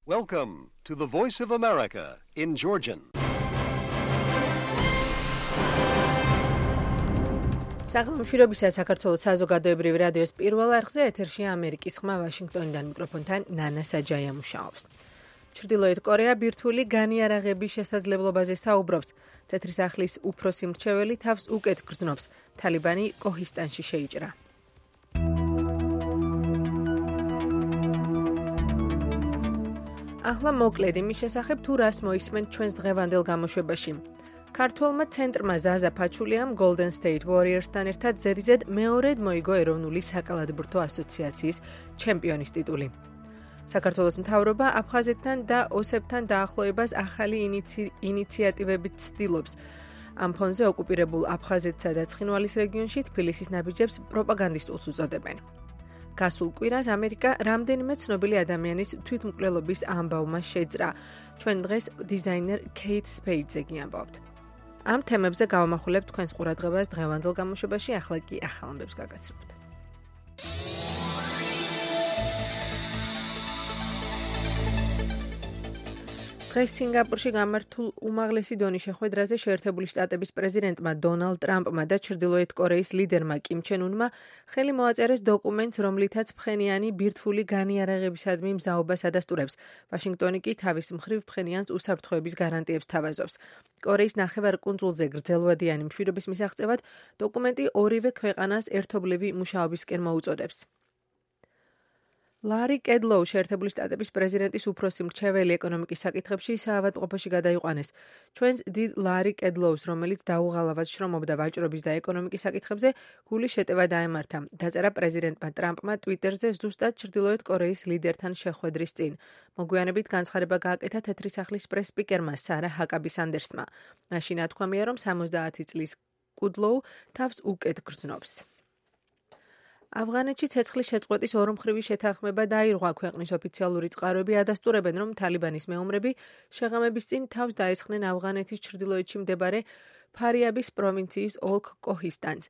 Welcome to the Voice of America in Georgian. საღამოშირობისა საქართველოს საზოგადოებრივი რადიოს პირველ არხზე ეთერშია ამერიკის ხმა ვაშინგტონიდან მიკროფონთან ნანა საჯაია მუშაობს. ჩრდილოეთ კორეა ბირთვული განიარაღების შესაძლებლობაზე საუბრობს. თეთრი სახლის უფროსი მრჩეველი თავს უკეთ გრძნობს. თალიბანი კოჰისტანში შეიჭრა. ახლა მოკლედ იმის შესახებ თუ რას მოისმენთ ჩვენს დღევანდელ გამოშვებაში. ქართველმა ცენტრმა ზაზა ფაჩულიამ Golden State Warriors-თან ერთად ზედიზედ მეორედ მოიგო ეროვნული საკალათბურთო ასოციაციის ჩემპიონის ტიტული. საქართველოს მთავრობა აფხაზეთთან და ოსებთან დაახლოებას ახალი ინიციატივებით ცდილობს. ამ ფონზე ოკუპირებულ აფხაზეთსა და ცხინვალის რეგიონში თბილისის ნაბიჯებს პროპაგანდისტულს უწოდებენ. გასულ კვირას ამერიკა რამდენიმე ცნობილი ადამიანის თვითმკვლელობის ამბავმა შეძრა. ჩვენ დღეს დიზაინერ Kate Spade-ზე გიამბობთ. ამ თემებზე გავამახვილებთ თქვენს ყურადღებას დღევანდელ გამოშვებაში, ახლა კი ახალ ამბებს გაგაცნობთ. დღეს სინგაპურში გამართულ უმაღლესი დონის შეხვედრაზე შეერთებული შტატების პრეზიდენტმა დონალდ ტრამპმა და ჩრდილოეთ კორეის ლიდერმა კიმ ჩენ უნმა ხელი მოაწერეს დოკუმენტს, რომლითაც ფხენიანი ბირთვული განიარაღებისადმი მზაობას ადასტურებს. ვაშინგტონი კი თავის მხრივ ფხენიანს უსაფრთხოების გარანტიებს თავაზობს. კორეის ნახევარკუნძულზე გრძელვადიანი მშვიდობის მისაღწევად დოკუმენტი ორივე ქვეყანას ერთობლივი მუშაობისკენ მოუწოდებს. ლარი კედლოუ შეერთებული შტატების პრეზიდენტის უფროსი მრჩეველი ეკონომიკის საკითხებში საავადმყოფოში გადაიყვანეს. ჩვენს დიდ ლარი კედლოუს, რომელიც დაუღალავად შრომობდა ვაჭრობის და ეკონომიკის საკითხებზე, გული შეტევა დაემართა. დაწერა პრეზიდენტმა ტრამპმა ტვიტერზე ზუსტად ჩრდილოეთ კორეის ლიდერთან შეხვედრის წინ. მოგვიანებით განცხადება გააკეთა თეთრი სახლის პრეს-სპიკერმა სარა ჰაკაბი სანდერსმა. მაშინ ათქვამია, რომ 70 წლის კედლოუ თავს უკეთ გრძნობს. ავღანეთში ცეცხლის შეწყვეტის ორმხრივი შეთანხმება დაირღვა. ქვეყნის ოფიციალური წყაროები ადასტურებენ, რომ თალიბანის მეომრები შეღამების წინ თავს დაესხნენ ავღანეთის ჩრდილოეთში მდებარე ფარიაბის პროვინციის ოლქ კოჰისტანს.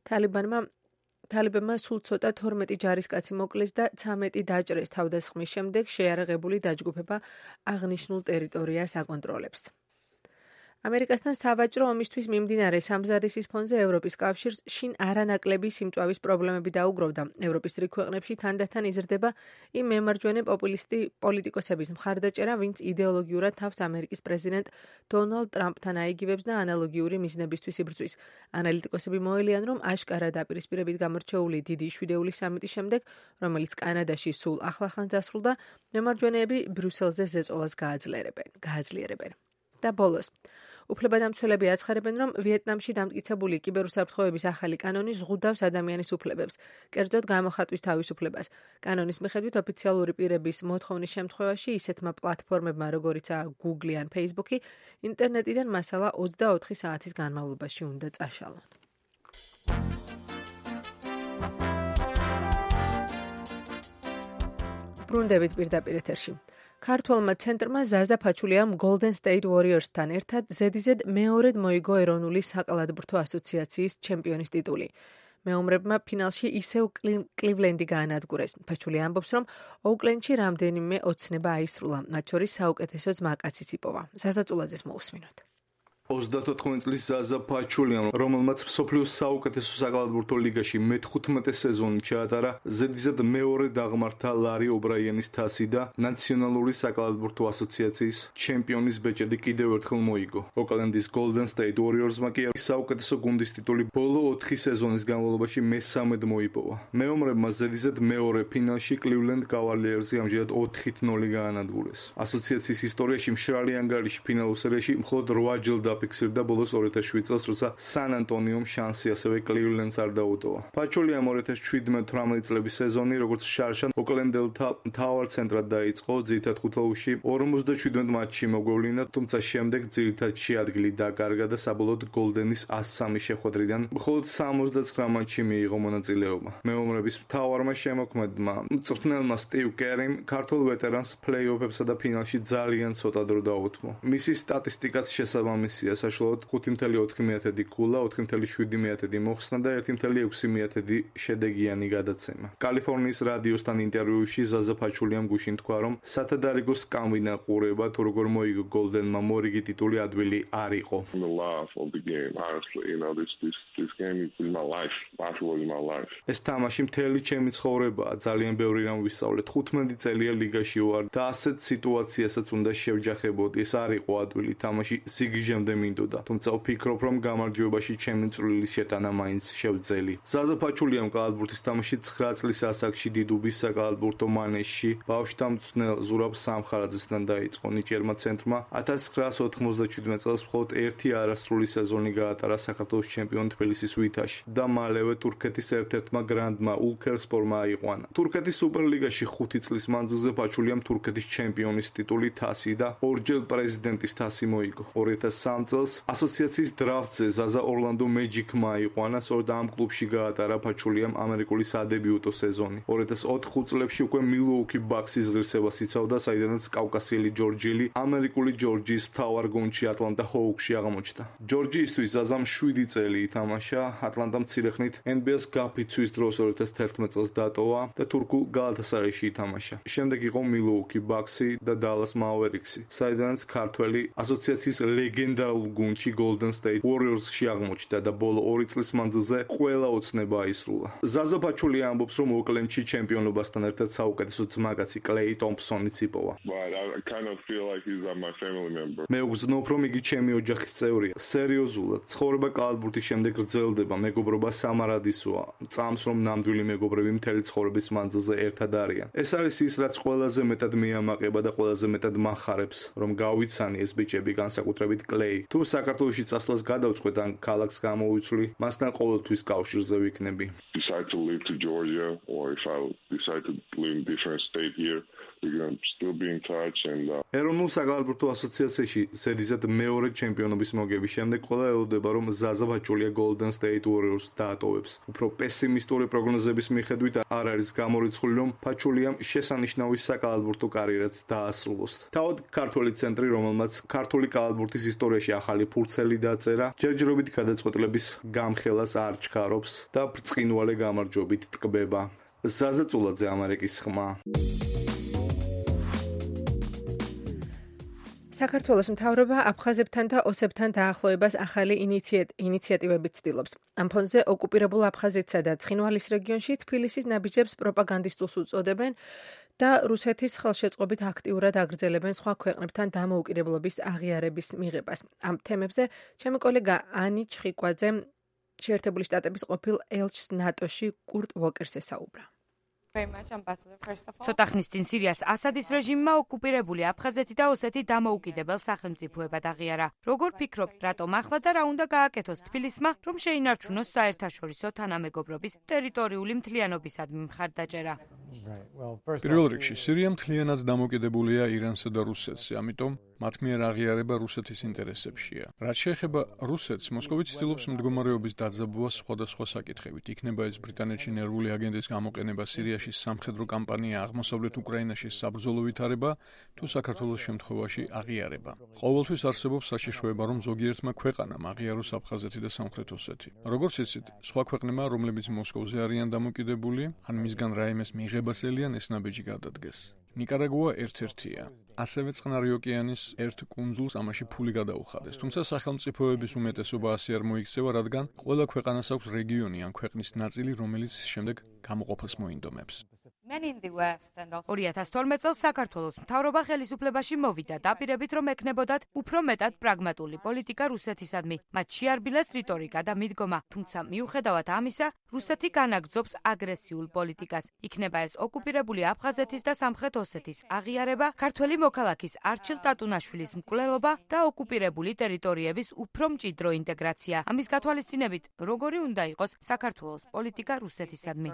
თალიბანმა სულ ცოტა 12 ჯარისკაცი მოკლეს და 13 დაჭრეს. თავდასხმის შემდეგ შეიარაღებული დაჯგუფება აღნიშნულ ტერიტორიას აკონტროლებს. ამერიკასთან სავაჭრო ომისთვის მიმდინარე სამზადისის ფონზე ევროპის კავშირს შინ არანაკლები სიმწვავის პრობლემები დაუგროვდა. ევროპის რიგ ქვეყნებში თანდათან იზრდება იმ მემარჯვენე პოპულისტი პოლიტიკოსების მხარდაჭერა, ვინც იდეოლოგიურად თავს ამერიკის პრეზიდენტ დონალდ ტრამპთან აიგივებს და ანალოგიური მიზნებისთვის იბრძვის. ანალიტიკოსები მოელიან, რომ აშკარა დაპირისპირებით გამორჩეული დიდი შვიდეული სამიტის შემდეგ, რომელიც კანადაში სულ ახლახანს დასრულდა, მემარჯვენეები ბრიუსელზე ზეწოლას გააძლიერებენ. და ბოლოს უფლებადამცველები აცხარებენ, რომ ვიეტნამში დამტკიცებული კიბერუსაფრთხოების ახალი კანონი ზღუდავს ადამიანის უფლებებს, კერძოდ გამოხატვის თავისუფლებას. კანონის მიხედვით ოფიციალური პირების მოთხოვნის შემთხვევაში ისეთმა პლატფორმებმა, როგორიცაა Google ან Facebook-ი, ინტერნეტიდან მასალა 24 საათის განმავლობაში უნდა წაშალონ. ბრუნდებით პირდაპირ ეთერში. ქართველმა ცენტრმა ზაზა ფაჩულიამ Golden State Warriors-თან ერთად ზედიზედ მეორედ მოიგო ეროვნული საკალათბურთო ასოციაციის ჩემპიონის ტიტული. მეომრებმა ფინალში ისევ კლივლენდი გაანადგურეს. ფაჩული ამბობს, რომ ოუკლენდში რამდენიმე ოცნება აისრულა, მათ შორის საუკეთესო ძმაკაციც იპოვა. სასაწულაძეს მოусმინოთ. 34 წლის ზაზა ფაჩულიამ, რომელმაც მსოფლიოს საუკეთესო საკალათბურთო ლიგაში მე-15 სეზონი ჩაატარა, ზედიზედ მეორე დაღმართა ლარი ობრაიანის თასი და ნაციონალური საკალათბურთო ასოციაციის ჩემპიონის ბეჭედი კიდევ ერთხელ მოიგო. ოკლენდის Golden State Warriors-მა კი საუკეთესო გუნდის ტიტული ბოლო 4 სეზონის განმავლობაში მესამედ მოიპოვა. მეომრებმა ზედიზედ მეორე ფინალში Cleveland Cavaliers-ი ამჯერად 4-0 გაანადგურეს. ასოციაციის ისტორიაში მშრალი ანგარიში ფინალურ სერიაში მხოლოდ 8 ჯერ დაფიქსირდა ბოლოს 2007 წელს, როცა სან ანტონიომ შანსი ასევე Cleveland-ს არ დაუტოვა. ფაჩულიამ 2017-18 წლების სეზონი, როგორც შარშან ოკლენდელთა მთავარ ცენტრად დაიწყო, ძირითად ხუთაუში 47 მატჩში მოგვევლინა, თუმცა შემდეგ ძირითადში ადგილი დაკარგა და საბოლოოდ Golden-ის 103 შეხვედრიდან მხოლოდ 69 მატჩში მიიღო მონაწილეობა. მეომრების მთავარმა შემოქმედმა მწვრთნელმა სტივ კერიმ ქართულ ვეტერანს პლეი-ოფებსა და ფინალში ძალიან ცოტა დრო დაუთმო. მისი სტატისტიკაც შესაბამისია. პოზიცია საშუალოდ 5.4 ქულა, 4.7 მოხსნა და 1.6 შედეგიანი გადაცემა. კალიფორნიის რადიოსთან ინტერვიუში ზაზა ფაჩულიამ გუშინ თქვა, რომ სათადარიგო სკამბინა ყურება თუ როგორ მოიგო გოლდენმა მორიგი ტიტული ადვილი არ იყო. ეს თამაში მთელი ჩემი ცხოვრებაა, ძალიან ბევრი რამ ვისწავლე. 15 წელია ლიგაში ვარ და ასეთ სიტუაციასაც უნდა შევჯახებოდი. ეს არ იყო ადვილი თამაში, სიგიჟემდე მინდოდა. თუმცა ვფიქრობ, რომ გამარჯვებაში ჩემი წვრილი შეტანა მაინც შევძელი. ზაზა ფაჩულიამ კალათბურთის თამაში 9 წლის ასაკში დიდუბის საკალათბურთო მანეჟში ბავშვთა მწვრთნელ ზურაბ სამხარაძესთან დაიწყო. ნიჭიერმა ცენტრმა 1997 წელს მხოლოდ ერთი არასრული სეზონი გაატარა საქართველოს ჩემპიონ თბილისის ვითაში და მალევე თურქეთის ერთ-ერთმა გრანდმა ულქერსპორმა აიყვანა. თურქეთის სუპერლიგაში 5 წლის მანძილზე ფაჩულიამ თურქეთის ჩემპიონის ტიტული, თასი და ორჯერ პრეზიდენტის თასი მოიგო. 2003 წელს ასოციაციის დრაფტზე ზაზა ორლანდო მეჯიკმა აიყვანა, სწორედ ამ კლუბში გაატარა ფაჩულიამ ამერიკული სადებიუტო სეზონი. 2004 წლებში უკვე მილუოკი ბაქსის ღირსებას იცავდა, საიდანაც კავკასიელი ჯორჯიელი ამერიკული ჯორჯიის მთავარ გუნდში ატლანტა ჰოუქსში აღმოჩნდა. ჯორჯიისთვის ზაზამ 7 წელი ითამაშა, ატლანტა მცირეხნით NBA-ს გაფიცვის დროს 2011 წელს დატოვა და თურქულ გალათასარაიში ითამაშა. შემდეგ იყო მილუოკი ბაქსი და დალას მაავერიქსი, საიდანაც ქართველი ასოციაციის ლეგენდარულ გუნდში Golden State Warriors-ში აღმოჩნდა და ბოლო 2 წლის მანძილზე ყველა ოცნება აისრულა. ზაზა ფაჩული ამბობს, რომ ოკლენდში ჩემპიონობასთან ერთად საუკეთესო ძმაკაცი კლეი ტომპსონიც იპოვა. მე ვგრძნობ, რომ იგი ჩემი ოჯახის წევრია. სერიოზულად, ცხოვრება კალათბურთის შემდეგ გრძელდება, მეგობრობა სამარადისოა. წამს, რომ ნამდვილი მეგობრები მთელი ცხოვრების მანძილზე ერთად არიან. ეს არის ის, რაც ყველაზე მეტად მიამაყება და ყველაზე მეტად მახარებს, რომ გავიცანი ეს ბიჭები, განსაკუთრებით კლეი. თუ საქართველოში წასვლას გადავწყვეტ ან ქალაქს გამოვიცვლი, მასთან ყოველთვის კავშირზე ვიქნები. Decide to live to Georgia or if I decide to live in different state here, we're going to still be in touch and ეროვნულ საკალათბურთო ასოციაციაში სერიზად მეორე ჩემპიონობის მოგების შემდეგ ყველა ელოდება, რომ ზაზა ფაჩულია Golden State Warriors დაატოვებს. უფრო პესიმისტური პროგნოზების მიხედვით არ არის გამორიცხული, რომ ფაჩულიამ შესანიშნავი საკალათბურთო კარიერაც დაასრულოს. თავად ქართველი ცენტრი, რომელმაც ქართული კალათბურთის ისტორიაში ახალი ფურცელი დაწერა, ჯერჯერობით გადაწყვეტილების გამხელას არ ჩქარობს და ბრწყინვალე გამარჯვებით ტკბება. ზაზა წულაძე, ამერიკის ხმა. საქართველოს მთავრობა აფხაზებთან და ოსებთან დაახლოებას ახალი ინიციატივებით ცდილობს. ამ ფონზე ოკუპირებულ აფხაზეთსა და ცხინვალის რეგიონში თბილისის ნაბიჯებს პროპაგანდისტულს უწოდებენ და რუსეთის ხელშეწყობით აქტიურად აგრძელებენ სხვა ქვეყნებთან დამოუკიდებლობის აღიარების მიღებას. ამ თემებზე ჩემი კოლეგა ანი ჩხიკვაძე შეერთებული შტატების ყოფილ ელჩს ნატოში კურტ ვოკერს ესაუბრა. ცოტა ხნის წინ სირიას ასადის რეჟიმმა ოკუპირებული აფხაზეთი და ოსეთი დამოუკიდებელ სახელმწიფოებად აღიარა. როგორ ფიქრობთ, რატომ ახლა და რა უნდა გააკეთოს თბილისმა, რომ შეინარჩუნოს საერთაშორისო თანამეგობრობის ტერიტორიული მთლიანობისადმი მხარდაჭერა? პირველ რიგში, სირია მთლიანად დამოკიდებულია ირანსა და რუსეთზე, ამიტომ მათ მიერ აღიარება რუსეთის ინტერესებშია. რაც შეეხება რუსეთს, მოსკოვი ცდილობს მდგომარეობის დაძაბვას სხვადასხვა საკითხებით. იქნება ეს ბრიტანეთში ნერვული აგენტის გამოყენება, სირიაში სამხედრო კამპანია, აღმოსავლეთ უკრაინაში საბრძოლო ვითარება თუ საქართველოს შემთხვევაში აღიარება. ყოველთვის არსებობს საშიშროება, რომ ზოგიერთმა ქვეყანამ აღიაროს აფხაზეთი და სამხრეთ ოსეთი. როგორც იცით, სხვა ქვეყნებმა, რომლებიც მოსკოვზე არიან დამოკიდებული, ან მისგან რაიმეს მიიღებას ელიან, ეს ნაბიჯი გადადგეს. ნიკარაგუა ერთ-ერთია. ასევე წყნარი ოკეანის ერთ კუნძულს ამაში ფული გადაუხადეს. თუმცა სახელმწიფოების უმეტესობა ასე არ მოიქცევა, რადგან ყველა ქვეყანას აქვს რეგიონი ან ქვეყნის ნაწილი, რომელიც შემდეგ გამოყოფას მოინდომებს. 2012 წელს საქართველოს მთავრობა ხელისუფლებაში მოვიდა დაპირებით, რომ ექნებოდათ უფრო მეტად პრაგმატული პოლიტიკა რუსეთისადმი. მათ შეარბილეს რიტორიკა და მიდგომა, თუმცა მიუხედავად ამისა, რუსეთი განაგრძობს აგრესიულ პოლიტიკას. იქნება ეს ოკუპირებული აფხაზეთის და სამხრეთ ოსეთის აღიარება, ქართველი მოქალაქის არჩილ ტატუნაშვილის მკვლელობა და ოკუპირებული ტერიტორიების უფრო მჭიდრო ინტეგრაცია. ამის გათვალისწინებით, როგორი უნდა იყოს საქართველოს პოლიტიკა რუსეთისადმი?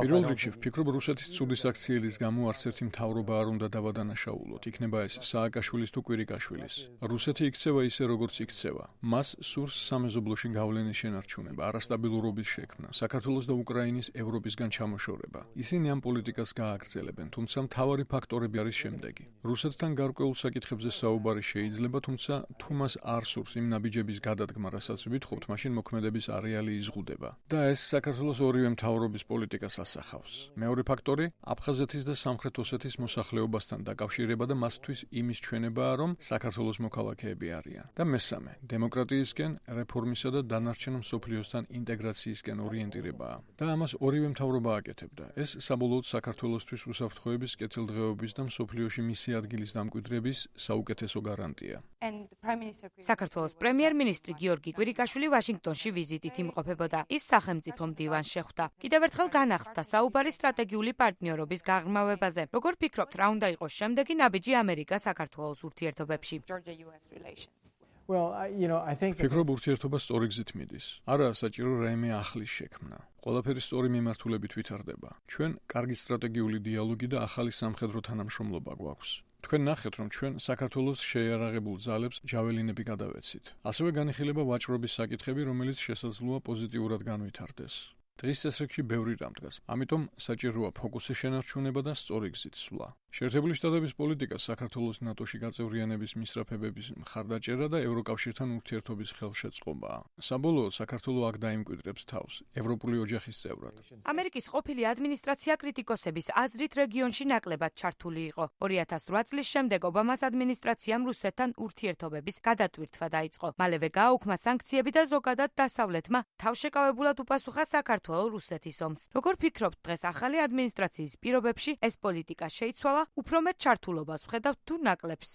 პირველ რიგში ვფიქრობ, რუსეთის ცუდი საქციელის გამო არც ერთი მთავრობა არ უნდა დავადანაშაულოთ. იქნება ეს სააკაშვილის თუ კვირიკაშვილის. რუსეთი იქცევა ისე, როგორც იქცევა. მას სურს სამეზობლოში გავლენის შენარჩუნება, არასტაბილურობის შექმნა, საქართველოს და უკრაინის ევროპისგან ჩამოშორება. ისინი ამ პოლიტიკას გააგრძელებენ, თუმცა მთავარი ფაქტორები არის შემდეგი. რუსეთთან გარკვეულ საკითხებზე საუბარი შეიძლება, თუმცა თუ მას არ სურს იმ ნაბიჯების გადადგმა, რასაც ვითხოვთ, მაშინ მოქმედების არეალი იზღუდება. და ეს საქართველოს ორივე მთავრობის პოლიტიკას ასახავს. მეორე ფაქტორი აფხაზეთის და სამხრეთ ოსეთის მოსახლეობასთან დაკავშირება და მათთვის იმის ჩვენებაა, რომ საქართველოს მოქალაქეები არიან. და მესამე, დემოკრატიისკენ, რეფორმისა და დანარჩენ მსოფლიოსთან ინტეგრაციისკენ ორიენტირებაა. და ამას ორივე მთავრობა აკეთებდა. ეს საბოლოოდ საქართველოსთვის უსაფრთხოების, კეთილდღეობის და მსოფლიოში მისი ადგილის დამკვიდრების საუკეთესო გარანტია. საქართველოს პრემიერ-მინისტრი გიორგი კვირიკაშვილი ვაშინგტონში ვიზიტით იმყოფებოდა. ის სახელმწიფო მდივანს შეხვდა. კიდევ ერთხელ განახლდა საუბარი სტრატეგიული პარტნიორობის გაღრმავებაზე. როგორ ფიქრობთ, რა უნდა იყოს შემდეგი ნაბიჯი ამერიკა-საქართველოს ურთიერთობებში? ფიქრობ, ურთიერთობა სწორი გზით მიდის. არაა საჭირო რაიმე ახლის შექმნა. ყველაფერი სწორი მიმართულებით ვითარდება. ჩვენ კარგი სტრატეგიული დიალოგი და ახალი სამხედრო თანამშრომლობა გვაქვს. თქვენ ნახეთ, რომ ჩვენ საქართველოს შეიარაღებულ ძალებს ჯაველინები გადავეცით. ასევე განიხილება ვაჭრობის საკითხები, რომელიც შესაძლოა პოზიტიურად განვითარდეს. დღის წესრიგში ბევრი რამ დგას. ამიტომ საჭიროა ფოკუსის შენარჩუნება და სწორი გზით სვლა. შეერთებული შტატების პოლიტიკა საქართველოს ნატოში გაწევრიანების მისწრაფებების მხარდაჭერა და ევროკავშირთან ურთიერთობის ხელშეწყობაა. საბოლოოდ საქართველო აქ დაიმკვიდრებს თავს ევროპული ოჯახის წევრად. ამერიკის ყოფილი ადმინისტრაცია კრიტიკოსების აზრით რეგიონში ნაკლებად ჩართული იყო. 2008 წლის შემდეგ ობამას ადმინისტრაციამ რუსეთთან ურთიერთობების გადატვირთვა დაიწყო. მალევე გააუქმა სანქციები და ზოგადად დასავლეთმა თავშეკავებულად უპასუხა საქართველოს რუსეთის ომს. როგორ ფიქრობთ, დღეს ახალი ადმინისტრაციის პირობებში ეს პოლიტიკა შეიცვალა? უფრო მეტ ჩართულობას ვხედავთ თუ ნაკლებს?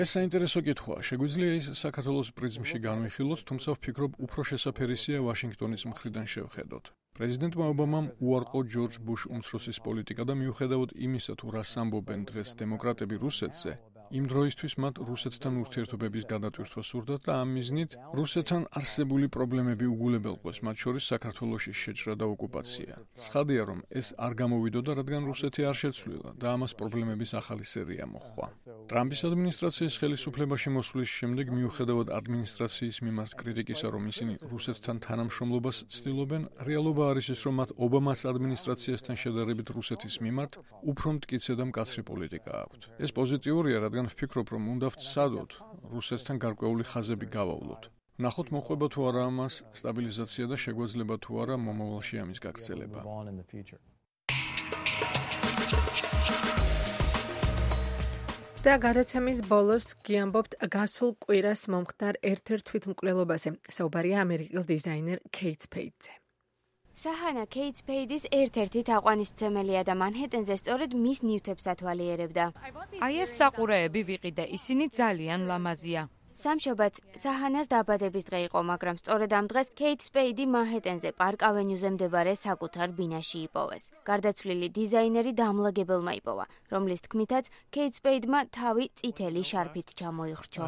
ეს საინტერესო კითხვაა. შეგვიძლია ის საქართველოს პრიზმში განვიხილოთ, თუმცა ვფიქრობ, უფრო შესაფერისია ვაშინგტონის მხრიდან შევხედოთ. პრეზიდენტმა ობამამ უარყო ჯორჯ ბუშ უმცროსის პოლიტიკა და მიუხედავად იმისა, თუ რას ამბობენ დღეს დემოკრატები რუსეთზე, იმ დროისთვის მათ რუსეთთან ურთიერთობების გადატვირთვა სურდათ და ამ მიზნით რუსეთთან არსებული პრობლემები უგულებელყვეს, მათ შორის საქართველოში შეჭრა და ოკუპაცია. ცხადია, რომ ეს არ გამოვიდოდა, რადგან რუსეთი არ შეცვლილა და ამას პრობლემების ახალი სერია მოჰყვა. ტრამპის ადმინისტრაციის ხელისუფლებაში მოსვლის შემდეგ, მიუხედავად ადმინისტრაციის მიმართ კრიტიკისა, რომ ისინი რუსეთთან თანამშრომლობას ცდილობენ, რეალობა არის ის, რომ მათ ობამას ადმინისტრაციასთან შედარებით რუსეთის მიმართ უფრო მტკიცე და მკაცრი პოლიტიკა აქვთ. ეს პოზიტიურია, რადგან ვფიქრობ, რომ უნდა ვცადოთ რუსეთთან გარკვეული ხაზები გავავლოთ. ნახოთ მოყვება თუ არა ამას სტაბილიზაცია და შეგვეძლება თუ არა მომავალში ამის გაგრძელება. და გადაცემის ბოლოს გიამბობთ გასულ კვირას მომხდარ ერთ-ერთ თვითმკვლელობაზე. საუბარია ამერიკელ დიზაინერ კეით სპეიდზე. საჰანა კეით სპეიდის ერთ-ერთი თაყვანისმცემელია და მანჰეტენზე სწორედ მის ნივთებს ათვალიერებდა. აი ეს საყურეები ვიყიდე, ისინი ძალიან ლამაზია. სამშობაც საჰანას დაბადების დღე იყო, მაგრამ სწორედ ამ დღეს კეით სპეიდი მანჰეტენზე პარკ ავენიუზე მდებარე საკუთარ ბინაში იპოვეს. გარდაცვლილი დიზაინერი დამლაგებელმა იპოვა, რომლის თქმითაც კეით სპეიდმა თავი წითელი შარფით ჩამოიხრჩო.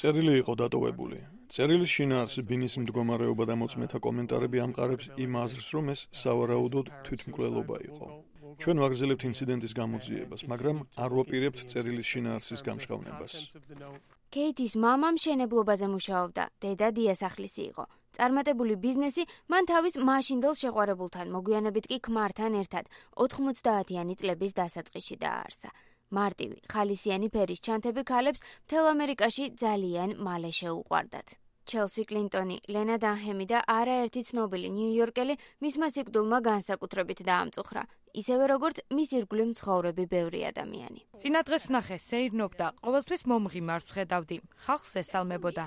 წერილი იყო დატოვებული. წერილის შინაარსი, ბინის მდგომარეობა და მოწმეთა კომენტარები ამყარებს იმ აზრს, რომ ეს სავარაუდოდ თვითმკვლელობა იყო. ჩვენ ვაგრძელებთ ინციდენტის გამოძიებას, მაგრამ არ ვაპირებთ წერილის შინაარსის გამშღავნებას. კეითის მამა მშენებლობაზე მუშაობდა, დედა დიასახლისი იყო. წარმატებული ბიზნესი მან თავის მაშინდელ შეყვარებულთან, მოგვიანებით კი ქმართან ერთად 90-იანი წლების დასაწყისში დააარსა. მარტივი, ხალისიანი ფერის ჩანთები ქალებს მთელ ამერიკაში ძალიან მალე შეუყვარდათ. ჩელსი კლინტონი, ლენა დანჰემი და არაერთი ცნობილი ნიუ-იორკელი მისმა სიკვდილმა განსაკუთრებით დაამწუხრა. ისევე როგორც მის ირგვლივ მცხოვრები ბევრი ადამიანი. წინა დღეს ვნახე, სეირნობდა, ყოველთვის მომღიმარს ხედავდი. ხალხს ესალმებოდა.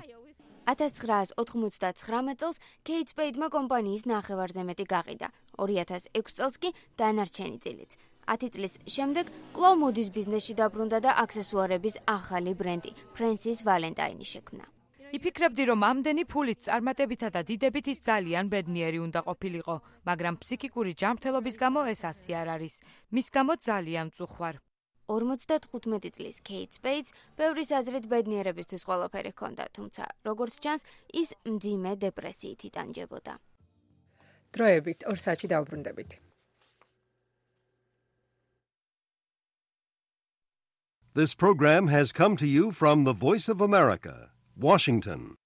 1999 წელს კეით სპეიდმა კომპანიის ნახევარზე მეტი გაყიდა. 2006 წელს კი დანარჩენი წილიც. 10 წლის შემდეგ კვლავ მოდის ბიზნესში დაბრუნდა და აქსესუარების ახალი ბრენდი, ფრენსის ვალენტაინი შექმნა. იფიქრებდი, რომ ამდენი ფულით, წარმატებითა და დიდებით ის ძალიან ბედნიერი უნდა ყოფილიყო, მაგრამ ფსიქიკური ჯანმრთელობის გამო ეს ასე არ არის. მის გამო ძალიან მწუხვარ. 55 წლის კეით სპეიდს ბევრის აზრით ბედნიერებისთვის ყველაფერი ჰქონდა, თუმცა როგორც ჩანს, ის მძიმე დეპრესიით იტანჯებოდა. დროებით 2 საათში დავბრუნდებით. This program has come to you from the Voice of America, Washington.